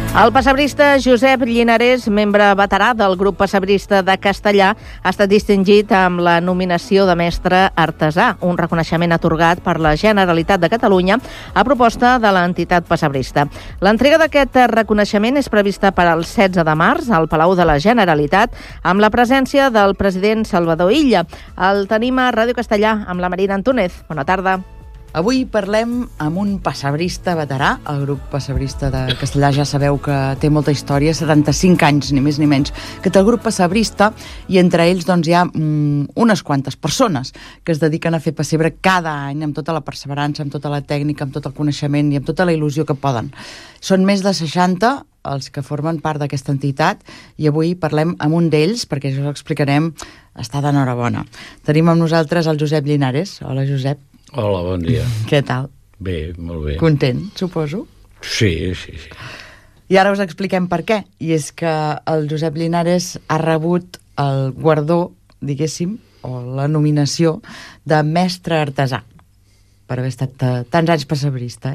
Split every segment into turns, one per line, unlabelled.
El pessebrista Josep Llinarès, membre veterà del grup pessebrista de Castellar, ha estat distingit amb la nominació de mestre artesà, un reconeixement atorgat per la Generalitat de Catalunya a proposta de l'entitat pessebrista. L'entrega d'aquest reconeixement és prevista per al 16 de març al Palau de la Generalitat amb la presència del president Salvador Illa. El tenim a Ràdio Castellar amb la Marina Antúnez. Bona tarda.
Avui parlem amb un pessebrista veterà. El grup pessebrista de Castellar ja sabeu que té molta història, 75 anys, ni més ni menys, que té el grup pessebrista, i entre ells doncs, hi ha unes quantes persones que es dediquen a fer pessebre cada any amb tota la perseverança, amb tota la tècnica, amb tot el coneixement i amb tota la il·lusió que poden. Són més de 60 els que formen part d'aquesta entitat i avui parlem amb un d'ells, perquè ja us explicarem, està d'enhorabona. Tenim amb nosaltres el Josep Llinarès. Hola, Josep.
Hola, bon dia.
Què tal?
Bé, molt bé.
Content, suposo?
Sí.
I ara us expliquem per què. I és que el Josep Llinarès ha rebut el guardó, diguéssim, o la nominació de mestre artesà, per haver estat tants anys pessebrista,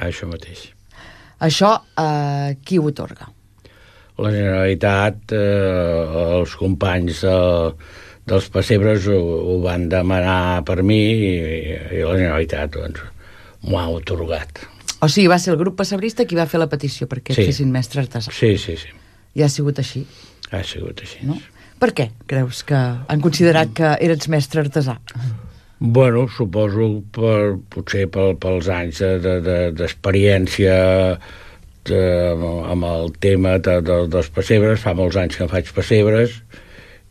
Això mateix.
Això, qui ho atorga?
La Generalitat, els companys dels pessebres ho van demanar per mi i la Generalitat doncs, m'ho ha atorgat.
O sigui, va ser el grup pessebrista qui va fer la petició perquè et fessin mestre artesà.
Sí.
I ha sigut així.
Ha sigut així.
No? Per què creus que han considerat que eres mestre artesà?
Bueno, suposo potser pels anys d'experiència amb el tema dels pessebres. Fa molts anys que em faig pessebres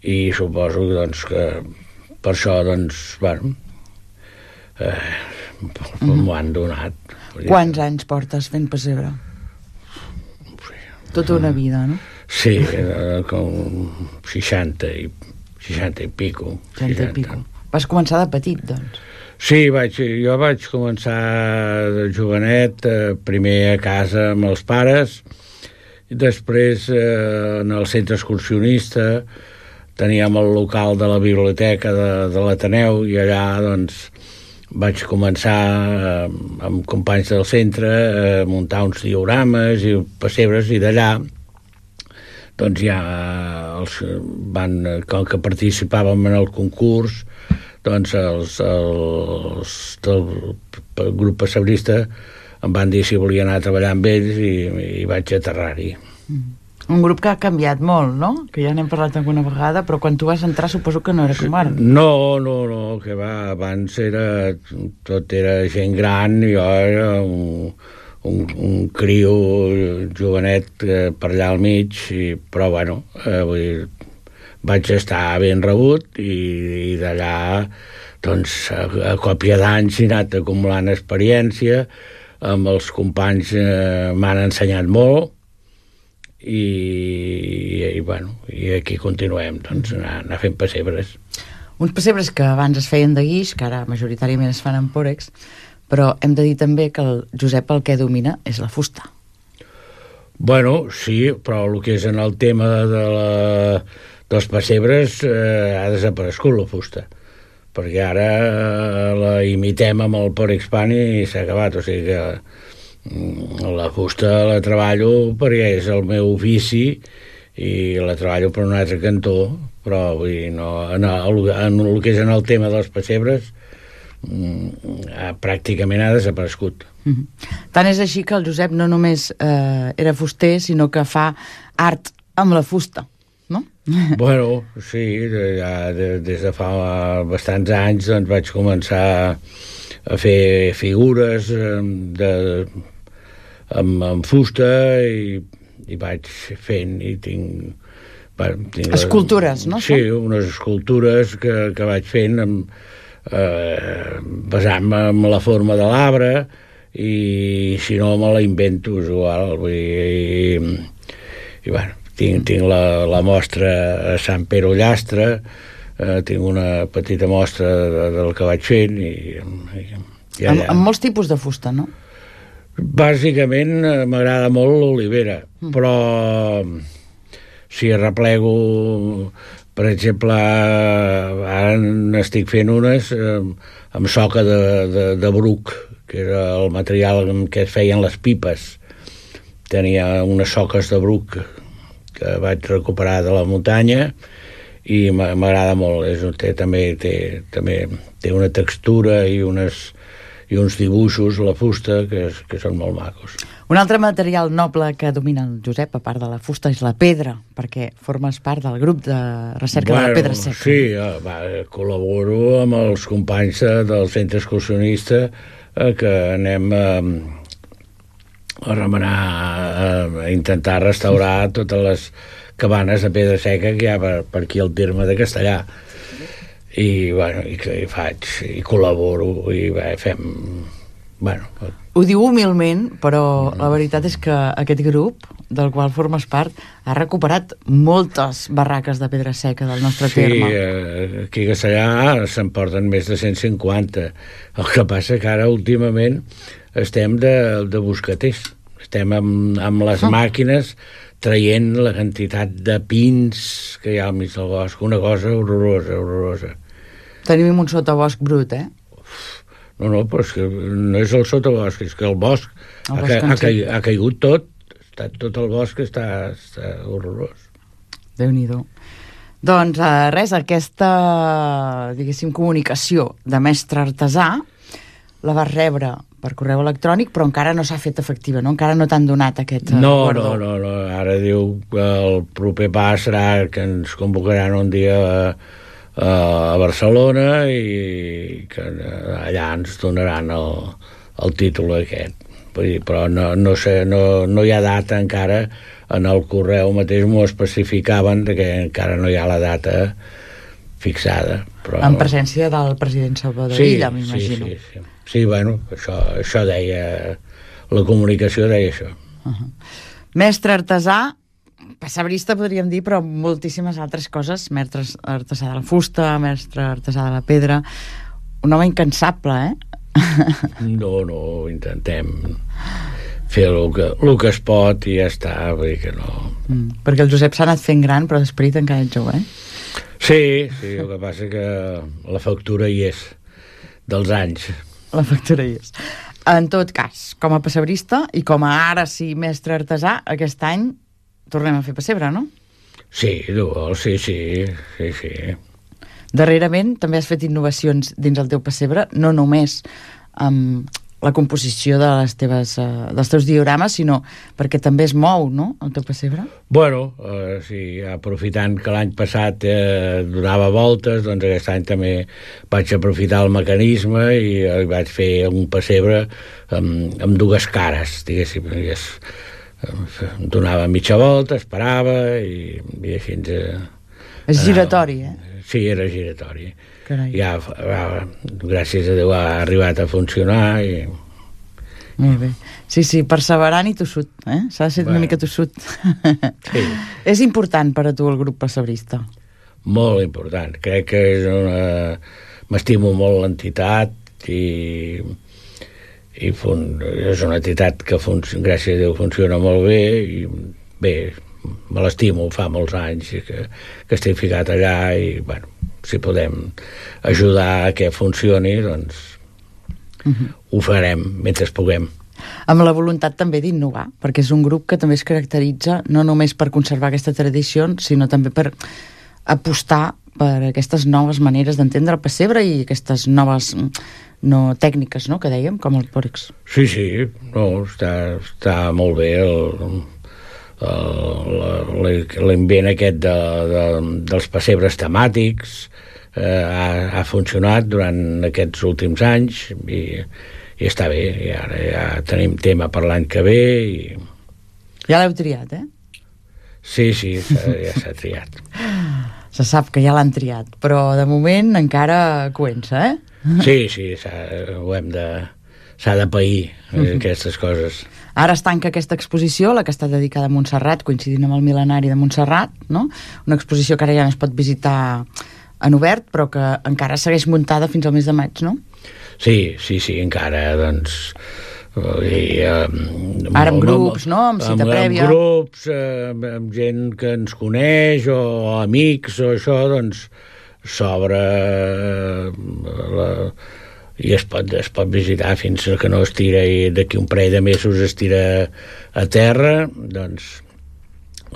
i suposo doncs, que per això m'ho han donat.
Quants anys portes fent pessebre? Tota una vida, no?
Sí, com 60 i pico.
60 i pico. Vas començar de petit, doncs?
Sí, jo vaig començar de jovenet, primer a casa amb els pares, i després en el centre excursionista teníem el local de la biblioteca de l'Ateneu i allà doncs vaig començar amb companys del centre a muntar uns diorames i pessebres, i d'allà doncs ja com que participàvem en el concurs, doncs els del grup pessebrista em van dir si volia anar a treballar amb ells i vaig aterrar-hi.
Un grup que ha canviat molt, no? Que ja n'hem parlat alguna vegada, però quan tu vas entrar suposo que no era com ara.
No, que va, abans tot era gent gran, i jo era un criu jovenet per allà al mig, però bueno, vaig estar ben rebut i d'allà doncs a còpia d'anys he anat acumulant experiència, amb els companys m'han ensenyat molt i aquí continuem doncs anar fent pessebres.
Uns pessebres que abans es feien de guix, que ara majoritàriament es fan amb pòrex, però hem de dir també que el Josep el que domina és la fusta.
Bueno, sí, però el que és en el tema dels pessebres ha desaparegut la fusta, perquè ara la imitem amb el pòrex pan i s'ha acabat, o sigui que la fusta la treballo perquè és el meu ofici i la treballo per un altre cantó, però vull dir, en el que és en el tema dels pessebres pràcticament ha desaparegut.
Tant és així que el Josep no només era fuster, sinó que fa art amb la fusta, no?
Bueno, sí, ja des de fa bastants anys doncs vaig començar a fer figures amb fusta i vaig fent i tinc
escultures, no?
Sí, unes escultures que vaig fent basant-me en la forma de l'arbre, i si no me la invento, és igual. I bueno, tinc la mostra a Sant Pere Ullastre, tinc una petita mostra del que vaig fent
amb molts tipus de fusta, no?
Bàsicament m'agrada molt l'olivera, però si arreplego, per exemple, ara n'estic fent unes amb soca de bruc, que era el material amb què es feien les pipes. tenia unes soques de bruc que vaig recuperar de la muntanya i m'agrada molt. També té una textura i uns dibuixos, la fusta, que són molt macos.
Un altre material noble que domina el Josep, a part de la fusta, és la pedra, perquè formes part del grup de recerca de la pedra seca.
Sí, col·laboro amb els companys del centre excursionista que anem a remenar, a intentar restaurar totes les cabanes de pedra seca que hi ha per aquí al terme de Castellà. I faig, i col·laboro, i fem...
Ho diu humilment, però la veritat és que aquest grup, del qual formes part, ha recuperat moltes barraques de pedra seca del nostre terme.
Sí, aquí a Castellà se'n porten més de 150. El que passa que ara, últimament, estem de buscaters. Estem amb les màquines traient la quantitat de pins que hi ha al mig del bosc. Una cosa horrorosa.
Tenim un sotabosc brut, eh?
No, però és que no és el sotabosc, és que el bosc ha caigut tot. Tot el bosc està horrorós.
Déu-n'hi-do. Doncs res, aquesta, diguéssim, comunicació de mestre artesà la vas rebre per correu electrònic, però encara no s'ha fet efectiva, no? Encara no t'han donat aquest guardó.
No. Ara diu que el proper pas serà que ens convocaran un dia a Barcelona i que allà ens donaran el títol aquest. Però no sé, no hi ha data encara. En el correu mateix m'ho especificaven que encara no hi ha la data fixada. Però...
En presència del president Salvador Illa, m'imagino.
Sí, bueno, això deia... La comunicació deia això.
Mestre artesà, pessebrista podríem dir, però moltíssimes altres coses. Mestre artesà de la fusta, mestre artesà de la pedra. Un home incansable, eh?
No, intentem fer el que es pot i ja està, vull dir que no...
Perquè el Josep s'ha anat fent gran, però d'esperit encara ets jove, eh?
Sí, el que passa que la factura hi és, dels anys.
La factura hi és. En tot cas, com a pessebrista i com a ara sí mestre artesà, aquest any tornem a fer pessebre, no?
Sí.
Darrerament també has fet innovacions dins el teu pessebre, no només amb la composició dels teus diorames, sinó perquè també es mou, no?, el teu pessebre?
Bueno, sí, aprofitant que l'any passat donava voltes, doncs aquest any també vaig aprofitar el mecanisme i vaig fer un pessebre amb dues cares, diguéssim. Donava mitja volta, esperava i així ens...
És giratori, eh?
Sí, era giratori.
Carai.
Ja, gràcies a Déu, ha arribat a funcionar i...
Molt bé. Sí, perseverant i tossut, eh? S'ha de ser una mica tossut.
Sí.
És important per a tu el grup pessebrista?
Molt important. Crec que m'estimo molt l'entitat i és una entitat que, gràcies a Déu, funciona molt bé i bé, me l'estimo, fa molts anys que estic ficat allà i, bueno, si podem ajudar a que funcioni, doncs ho farem mentre puguem.
Amb la voluntat també d'innovar, perquè és un grup que també es caracteritza no només per conservar aquesta tradició, sinó també per apostar per aquestes noves maneres d'entendre el pessebre i aquestes noves tècniques, no?, que dèiem, com el porcs.
Sí, està molt bé l'invent aquest dels pessebres temàtics. Ha funcionat durant aquests últims anys i està bé, i ara ja tenim tema per l'any que ve i...
Ja l'heu triat, eh?
Sí, ja s'ha triat.
Se sap que ja l'han triat, però de moment encara coença, eh?
Sí, s'ha de pair aquestes coses.
Ara es tanca aquesta exposició, la que està dedicada a Montserrat, coincidint amb el mil·lenari de Montserrat, no? Una exposició que ara ja no es pot visitar en obert, però que encara segueix muntada fins al mes de maig, no?
Sí, encara, doncs...
Ara amb grups, no?, amb cita prèvia.
Amb grups, amb gent que ens coneix, o amics, o això, doncs s'obre i es pot visitar fins que no es tira, i d'aquí un parell de mesos es tira a terra, doncs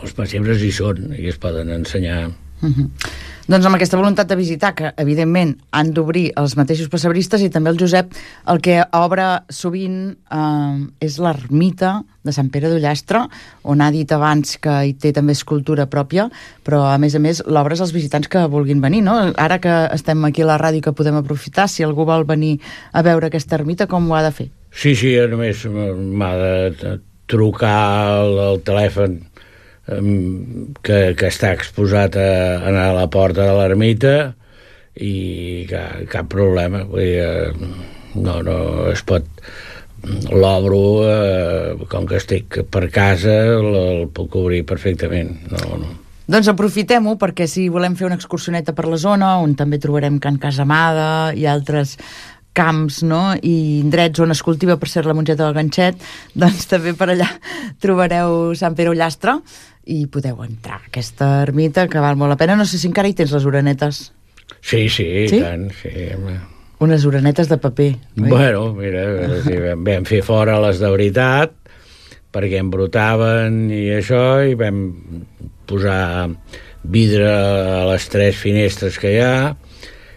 els pessebres hi són i es poden ensenyar.
Doncs amb aquesta voluntat de visitar, que evidentment han d'obrir els mateixos pessebristes, i també el Josep, el que obre sovint és l'ermita de Sant Pere d'Ullastre, on ha dit abans que hi té també escultura pròpia, però a més l'obres als visitants que vulguin venir, no? Ara que estem aquí a la ràdio, que podem aprofitar, si algú vol venir a veure aquesta ermita, com ho ha de fer?
Sí, només m'ha de trucar al telèfon que està exposat a anar a la porta de l'ermita, i cap problema. Vull dir, no es pot, l'obro, com que estic per casa, el puc obrir perfectament. No.
Doncs aprofitem-ho, perquè si volem fer una excursioneta per la zona, on també trobarem Can Casamada i altres camps, no?, i indrets on es cultiva, per ser la mongeta del ganxet, doncs també per allà trobareu Sant Pere Ullastre i podeu entrar a aquesta ermita, que val molt la pena. No sé si encara hi tens les orenetes.
Sí, tant, sí.
Unes orenetes de paper, oi?
Bueno, mira, vam fer fora les de veritat, perquè embrotaven i això, i vam posar vidre a les 3 finestres que hi ha,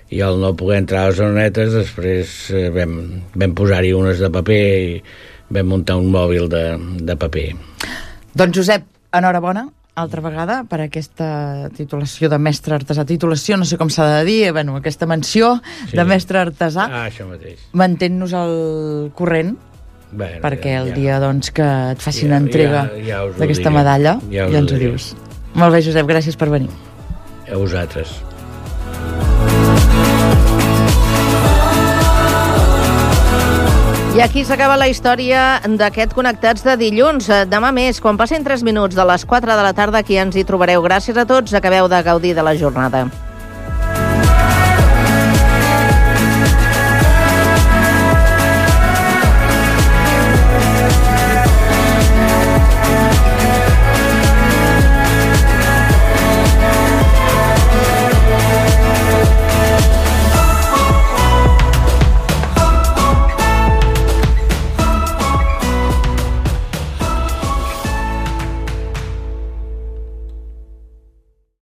i al no poder entrar a les orenetes, després vam posar-hi unes de paper i vam muntar un mòbil de paper.
Doncs Josep, enhorabona altra vegada per aquesta titulació de mestre artesà. Titulació, no sé com s'ha de dir, aquesta menció de mestre artesà.
Això mateix.
Mantén-nos al corrent, perquè el dia que et facin entrega d'aquesta medalla, ja ens ho dius. Molt bé, Josep, gràcies per venir.
A vosaltres.
I aquí s'acaba la història d'aquest Connectats de dilluns. Demà més, quan passin 3 minuts de les 4 de la tarda, aquí ens hi trobareu. Gràcies a tots, acabeu de gaudir de la jornada.